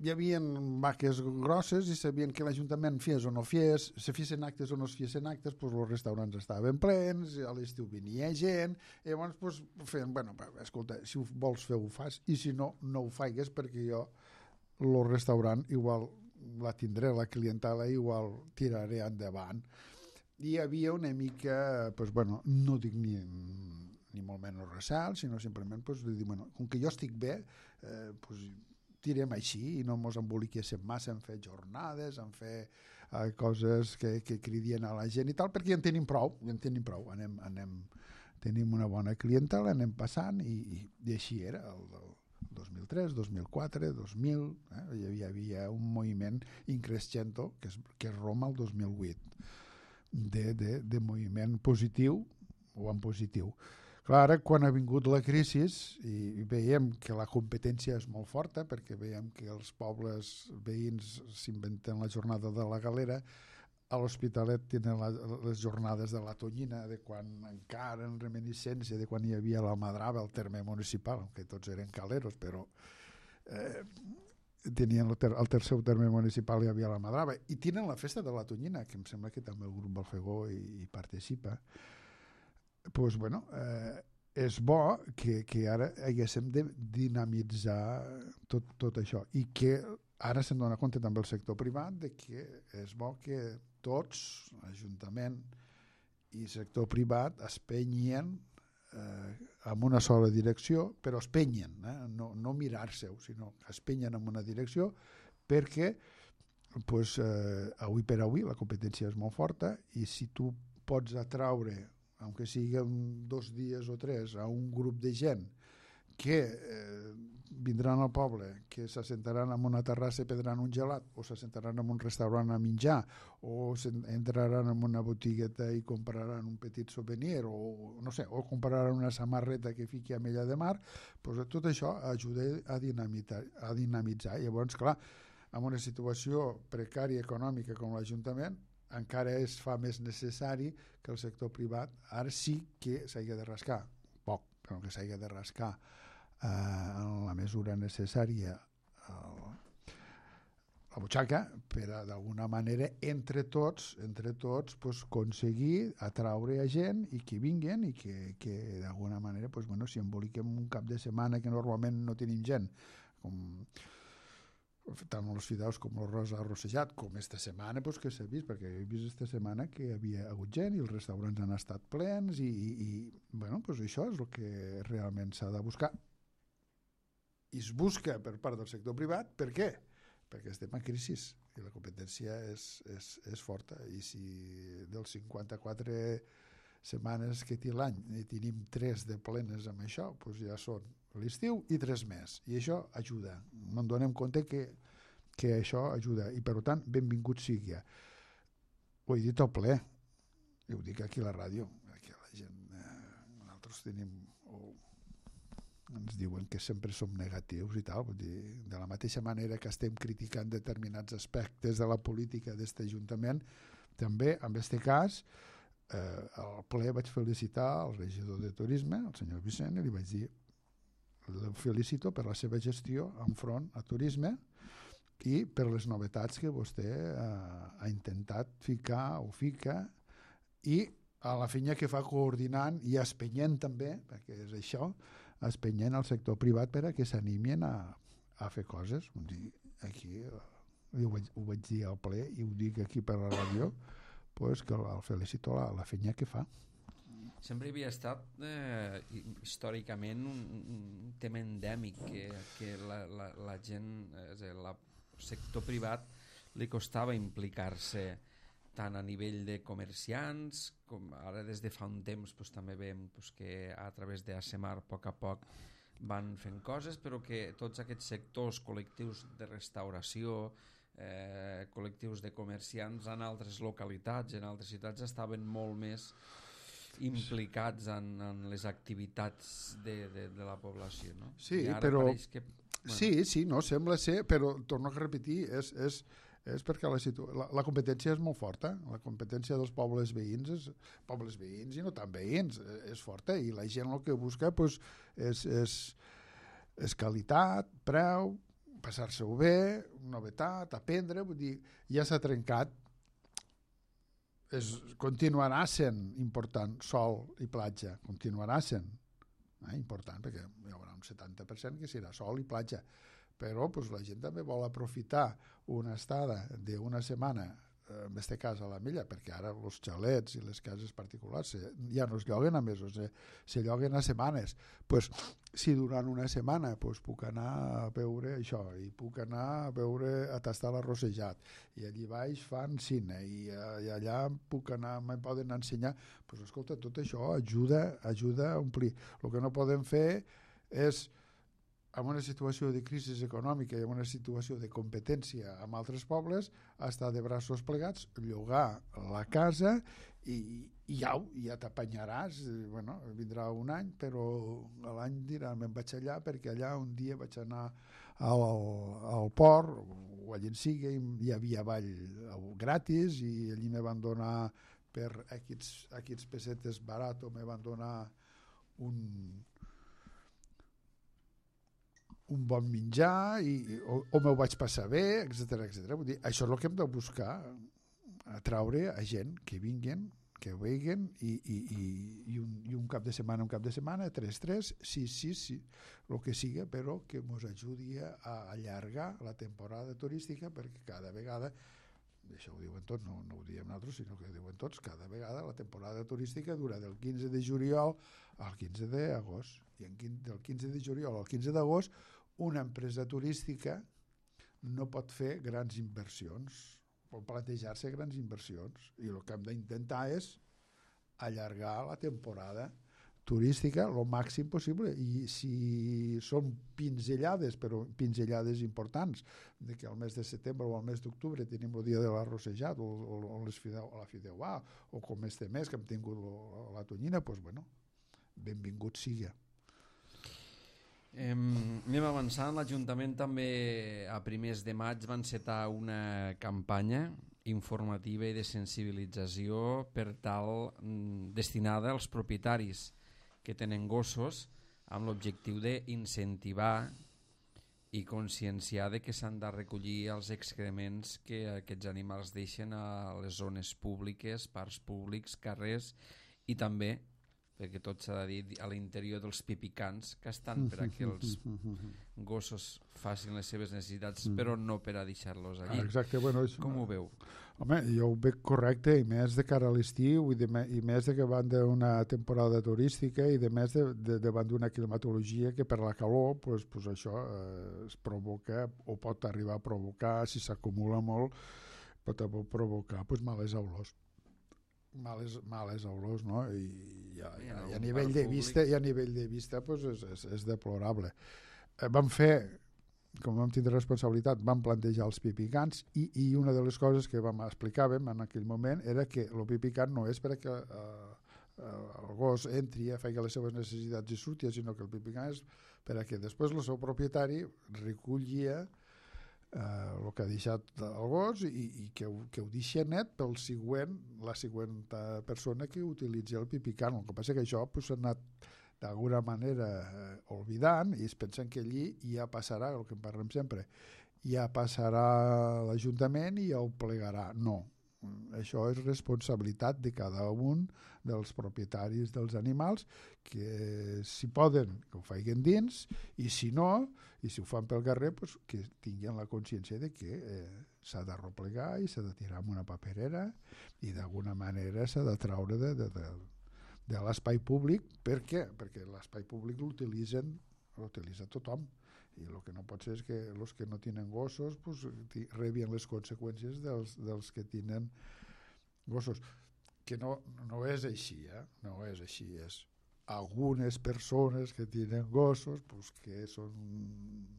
hi havia vaques grosses i sabien que l'Ajuntament fes o no fes, se fessin actes o no es fessin actes, doncs els restaurants estaven plens, a l'estiu venia gent, i llavors doncs, feien, bueno, escolta, si ho vols fer ho fas, i si no, no ho faigues, perquè jo el restaurant igual la tindré, la clientela igual tiraré endavant. I hi havia una mica, doncs, bueno, no dic ni molt menys recel, sinó simplement pues, dir, bueno, com que jo estic bé, pues, tirem així i no ens emboliquéssim massa en fer jornades, en fer coses que cridien a la gent i tal, perquè ja en tenim prou, tenim una bona clientela, anem passant i així era el 2003, 2004, 2000, hi havia un moviment increscendo que és Roma el 2008 de moviment positiu o en positiu. Clar, ara quan ha vingut la crisi i veiem que la competència és molt forta, perquè veiem que els pobles veïns s'inventen la jornada de la galera, a l'Hospitalet tenen les jornades de la Tonyina, de quan encara en reminiscència de quan hi havia l'Almadrava, el terme municipal, que tots eren caleros, però tenien el seu terme municipal hi havia l'Almadrava, i tenen la festa de la Tonyina, que em sembla que també el grup Balfegó hi participa. Pues, bueno, és bo que ara haguéssim de dinamitzar tot això i que ara se'n dona compte també el sector privat de que és bo que tots, Ajuntament i sector privat, es penyen en una sola direcció, però es penyen, no mirar-se-ho, sinó que es penyen en una direcció perquè pues, avui per avui la competència és molt forta i si tu pots atraure aunque siguin 2 dies o 3, a un grup de gent que vindran al poble, que s'assentaran en una terrassa i prendran un gelat, o s'assentaran en un restaurant a menjar, o entraran en una botigueta i compraran un petit souvenir, o no sé, o compraran una samarreta que fiqui a Mella de Mar, doncs tot això ajuda a dinamitzar. I llavors, clar, en una situació precària econòmica com l'Ajuntament, encara es fa més necessari que el sector privat ara sí que s'hagi de rascar, poc, però que s'hagi de rascar en la mesura necessària la butxaca per a, d'alguna manera, entre tots pues, aconseguir atraure a gent i que vinguin i que d'alguna manera pues, bueno, si emboliquem un cap de setmana que normalment no tenim gent, com tant els fideus com l'arròs arrossejat, com esta setmana pues, que s'ha vist, perquè he vist esta setmana que hi havia hagut gent i els restaurants han estat plens i bueno, pues això és el que realment s'ha de buscar. I es busca per part del sector privat. Per què? Perquè estem en crisi i la competència és forta, i si dels 54 setmanes que té l'any i tenim 3 de plenes amb això, doncs ja són l'estiu i 3 més, i això ajuda. No en donem compte que això ajuda, i per tant benvingut sigui. Ho he dit al ple i ho dic aquí a la ràdio, perquè la gent nosaltres tenim ens diuen que sempre som negatius i tal, vull dir, de la mateixa manera que estem criticant determinats aspectes de la política d'aquest Ajuntament, també en aquest cas al ple vaig felicitar el regidor de Turisme, el senyor Vicent, i li vaig dir el felicito per la seva gestió enfront a Turisme i per les novetats que vostè ha intentat ficar o fica, i a la feina que fa coordinant i espenyent també, perquè és això, espenyent al sector privat per a que s'animin a fer coses. Aquí ho vaig dir al ple i ho dic aquí per la ràdio, pues que el felicito la feina que fa. Sempre havia estat històricament un tema endèmic que la gent, el sector privat li costava implicar-se tant a nivell de comerciants com ara des de fa un temps pues, també veiem pues, que a través d'ASEMAR a poc van fent coses, però que tots aquests sectors col·lectius de restauració, col·lectius de comerciants en altres localitats, en altres ciutats estaven molt més implicats en les activitats de la població, no? Sí, però que, bueno. Sí, no, sembla ser, però torno a repetir, és perquè la competència és molt forta, la competència dels pobles veïns i no tan veïns és forta, i la gent el que busca pues, és qualitat, preu, passar-se-ho bé, novetat, aprendre, vull dir, ja s'ha trencat, continuarà sent important sol i platja, continuarà sent important, perquè hi haurà un 70% que serà sol i platja, però pues, la gent també vol aprofitar una estada d'una setmana, en aquest cas a la Mella, perquè ara els xalets i les cases particulars ja no es lloguen a mesos, se lloguen a setmanes. Pues, si durant una setmana pues, puc anar a veure això, i puc anar a tastar l'arrossejat, i allí baix fan cine, i allà puc anar, me poden ensenyar, pues, escolta, tot això ajuda a omplir. El que no podem fer és, en una situació de crisi econòmica i en una situació de competència amb altres pobles, estar de braços plegats, llogar la casa i ja t'apanyaràs. Bueno, vindrà un any, però l'any dirà, me'n vaig allà perquè allà un dia vaig anar al port o allà en sigui, hi havia ball gratis i allí me van donar per aquests pessetes baratos, me van donar un bon menjar o me'l vaig passar bé, etc. Vull dir, això és el que hem de buscar, atraure a gent que vinguin, que vegin i un cap de setmana, 3, 6, el que siga, però que ens ajudi a allargar la temporada turística, perquè cada vegada, això ho diuen tots, no ho diem nosaltres, sinó que ho diuen tots, cada vegada la temporada turística dura del 15 de juliol al 15 d'agost, i del 15 de juliol al 15 d'agost una empresa turística no pot fer grans inversions, pot plantejar-se grans inversions, i el que hem d'intentar és allargar la temporada turística el màxim possible, i si són pinzellades, però pinzellades importants, de que al mes de setembre o al mes d'octubre tenim el dia de l'arrossejat o la fideuà, o com este mes que hem tingut la tonyina, doncs bueno, benvingut sigui. Anem avançant. L'Ajuntament també a primers de maig va encetar una campanya informativa i de sensibilització per tal destinada als propietaris que tenen gossos, amb l'objectiu d'incentivar i conscienciar de que s'han de recollir els excrements que aquests animals deixen a les zones públiques, parcs públics, carrers, i també perquè tot s'ha de dir, a l'interior dels pipicans, que estan per a que els gossos facin les seves necessitats, però no per a deixar-los allí. Exacte, bueno, com ho veu? Home, jo ho veig correcte, i més de cara a l'estiu, i més de que van d'una temporada turística, i de més davant d'una climatologia que per la calor pues això es provoca, o pot arribar a provocar, si s'acumula molt, pot provocar pues males olors. Males olors, no? I a nivell de vista pues és deplorable. Vam fer, com vam tindre responsabilitat, vam plantejar els pipicants i una de les coses que explicàvem en aquell moment era que el pipicant no és perquè el gos entri, faci les seves necessitats i surti, sinó que el pipicant és perquè després el seu propietari recollia el que ha deixat el gos i que ho deixi net pel la següent persona que utilitzi el pipicant. El que passa que això s'ha anat d'alguna manera oblidant i es pensen que allí ja passarà, el que en parlem sempre, ja passarà l'Ajuntament i ja ho plegarà. No, això és responsabilitat de cada un dels propietaris dels animals, que si poden que ho facin dins, i si no, i si ho fan pel carrer, pues, que tinguin la consciència de que s'ha de replegar i s'ha de tirar amb una paperera i d'alguna manera s'ha de traure de l'espai públic. Per què? Perquè l'espai públic l'utilitza tothom, i el que no pot ser és que els que no tenen gossos pues, rebien les conseqüències dels que tenen gossos, que no és així, no és així, és algunes persones que tenen gossos pues, que són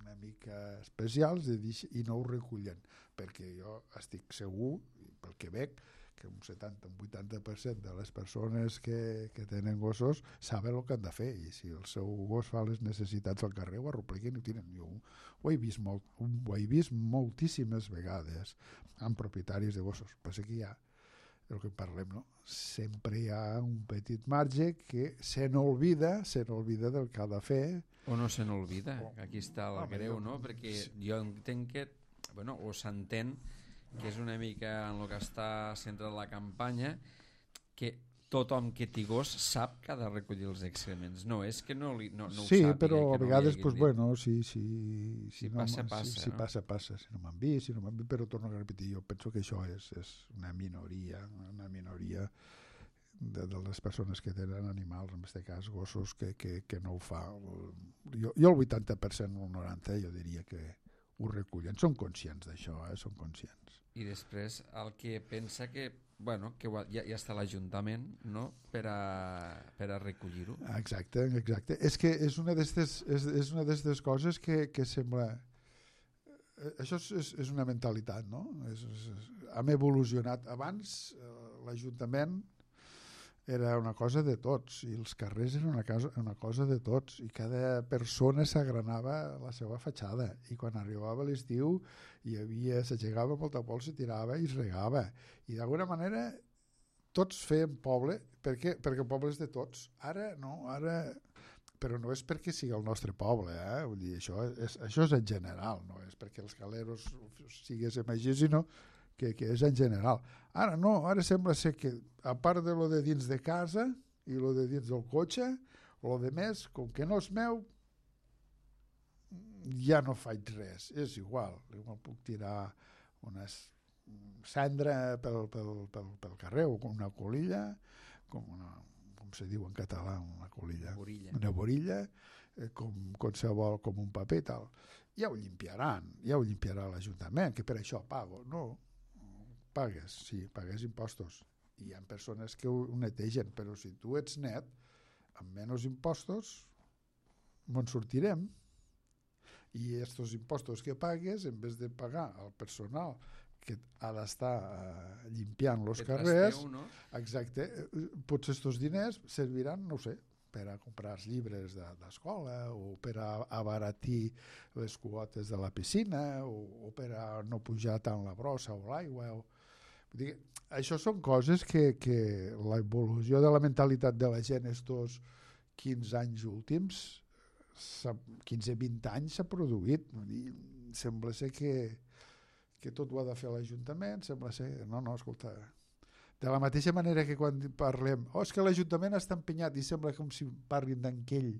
una mica especials i no ho recullen, perquè jo estic segur, pel que veig, que un 70-80% de les persones que tenen gossos saben el que han de fer, i si el seu gos fa les necessitats al carrer ho arropleguen i ho tiren. Jo ho he vist moltíssimes vegades amb propietaris de gossos. Passa que hi ha el que parlem, no? Sempre hi ha un petit marge que se n'olvida del que ha de fer. O no se n'olvida, aquí està el greu, no? Perquè jo entenc que, bueno, o s'entén que és una mica en el que està centrada la campanya, que tothom que té gos sap que ha de recollir els excrements. No és que no ho sàpiga. Sí, però a vegades, pues, bueno, si passa, passa. Si no m'han vist, però torno a repetir, jo penso que això és una minoria de les persones que tenen animals, en aquest cas gossos, que no ho fa. Jo el 80% o el 90% jo diria que ho recullen. Són conscients d'això, són conscients. I després el que pensa que, bueno, que ja està l'Ajuntament, no?, per a recollir-ho. Exacte. És que és una d'aquestes coses que sembla... Això és una mentalitat, no? Hem evolucionat. Abans l'Ajuntament era una cosa de tots i els carrers eren una cosa de tots i cada persona s'agranava la seva fatxada, i quan arribava l'estiu s'aixecava molta pols, se tirava i es regava, i d'alguna manera tots feien poble. Per què? Perquè el poble és de tots. Ara no, però no és perquè sigui el nostre poble, vull dir, això és en general, no és perquè els caleros siguéssim així, sinó que és en general. Ara no, ara sembla ser que a part de lo de dins de casa i lo de dins del cotxe, lo de més, com que no és meu, ja no faig res, és igual puc tirar una cendra pel carrer o una colilla, com se diu en català, una colilla, una borilla, com qualsevol, com un paper i tal. Ja ho limpiarà l'Ajuntament, que per això pago. No, pagues impostos. Hi ha persones que ho netegen, però si tu ets net, amb menys impostos, on sortirem? I aquests impostos que pagues, en vez de pagar al personal que ha d'estar limpiant els carrers, no? Exacte, potser aquests diners serviran, no sé, per a comprar els llibres d'escola, o per a abaratir les quotes de la piscina, o per a no pujar tant la brossa o l'aigua. Això són coses que l'evolució de la mentalitat de la gent estos 15 anys últims, 15-20 anys s'ha produït. Sembla ser que tot ho ha de fer l'Ajuntament, sembla ser... No, escolta, De la mateixa manera que quan parlem és que l'Ajuntament està empenyat i sembla com si parlin d'enquell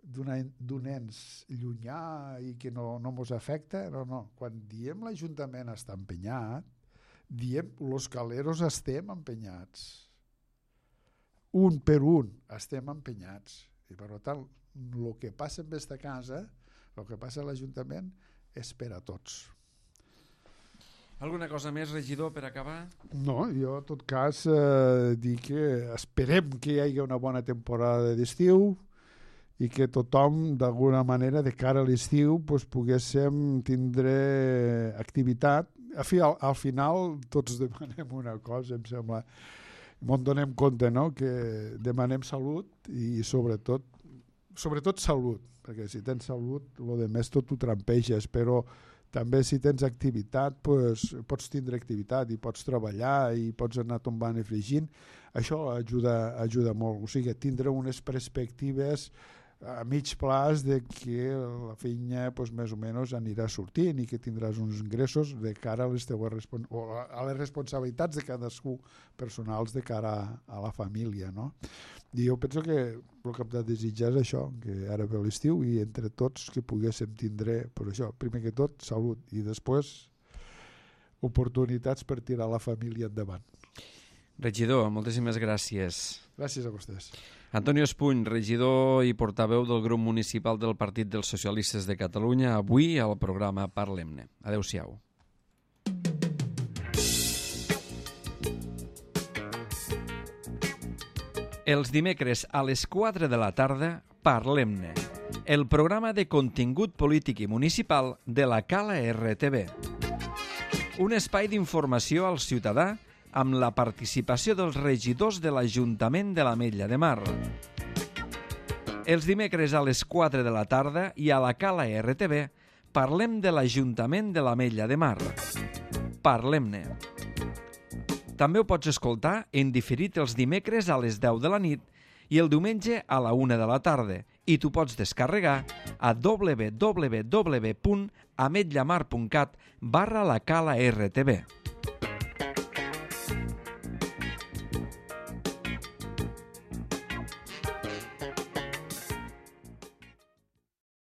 d'un ens llunyà i que no mos afecta, no. Quan diem l'Ajuntament està empenyat, diem los caleros estem empenyats. Un per un estem empenyats. I per tant, el que passa en aquesta casa, el que passa a l'Ajuntament, és per a tots. Alguna cosa més, regidor, per acabar? No, jo en tot cas dic que esperem que hi hagi una bona temporada d'estiu i que tothom, d'alguna manera, de cara a l'estiu, poguéssim tindre activitat. Al final, tots demanem una cosa, em sembla, ens donem compte, no?, que demanem salut i sobretot salut, perquè si tens salut, el de més tot ho trampeges, però també si tens activitat pots tindre activitat i pots treballar i pots anar tombant i fregint. Això ajuda molt, o sigui, tindre unes perspectives a mig plaç de que la feina més o menys anirà sortint i que tindràs uns ingressos de cara a les teves a les responsabilitats de cadascú personals de cara a la família, no? I jo penso que el que hem de desitjar és això, que ara ve l'estiu i entre tots que poguéssim tindre, per això, primer que tot, salut i després oportunitats per tirar la família endavant. Regidor, moltíssimes gràcies. Gràcies a vostès. Antonio Espuny, regidor i portaveu del grup municipal del Partit dels Socialistes de Catalunya, avui al programa Parlem-ne. Adéu-siau. Els dimecres a les 4 de la tarda, Parlem-ne, el programa de contingut polític i municipal de la Cala RTV. Un espai d'informació al ciutadà amb la participació dels regidors de l'Ajuntament de l'Ametlla de Mar. Els dimecres a les 4 de la tarda i a la Cala RTV parlem de l'Ajuntament de l'Ametlla de Mar. Parlem-ne. També ho pots escoltar en diferit els dimecres a les 10 de la nit i el diumenge a la 1 de la tarda i t'ho pots descarregar a www.ametllamar.cat/la Cala RTV.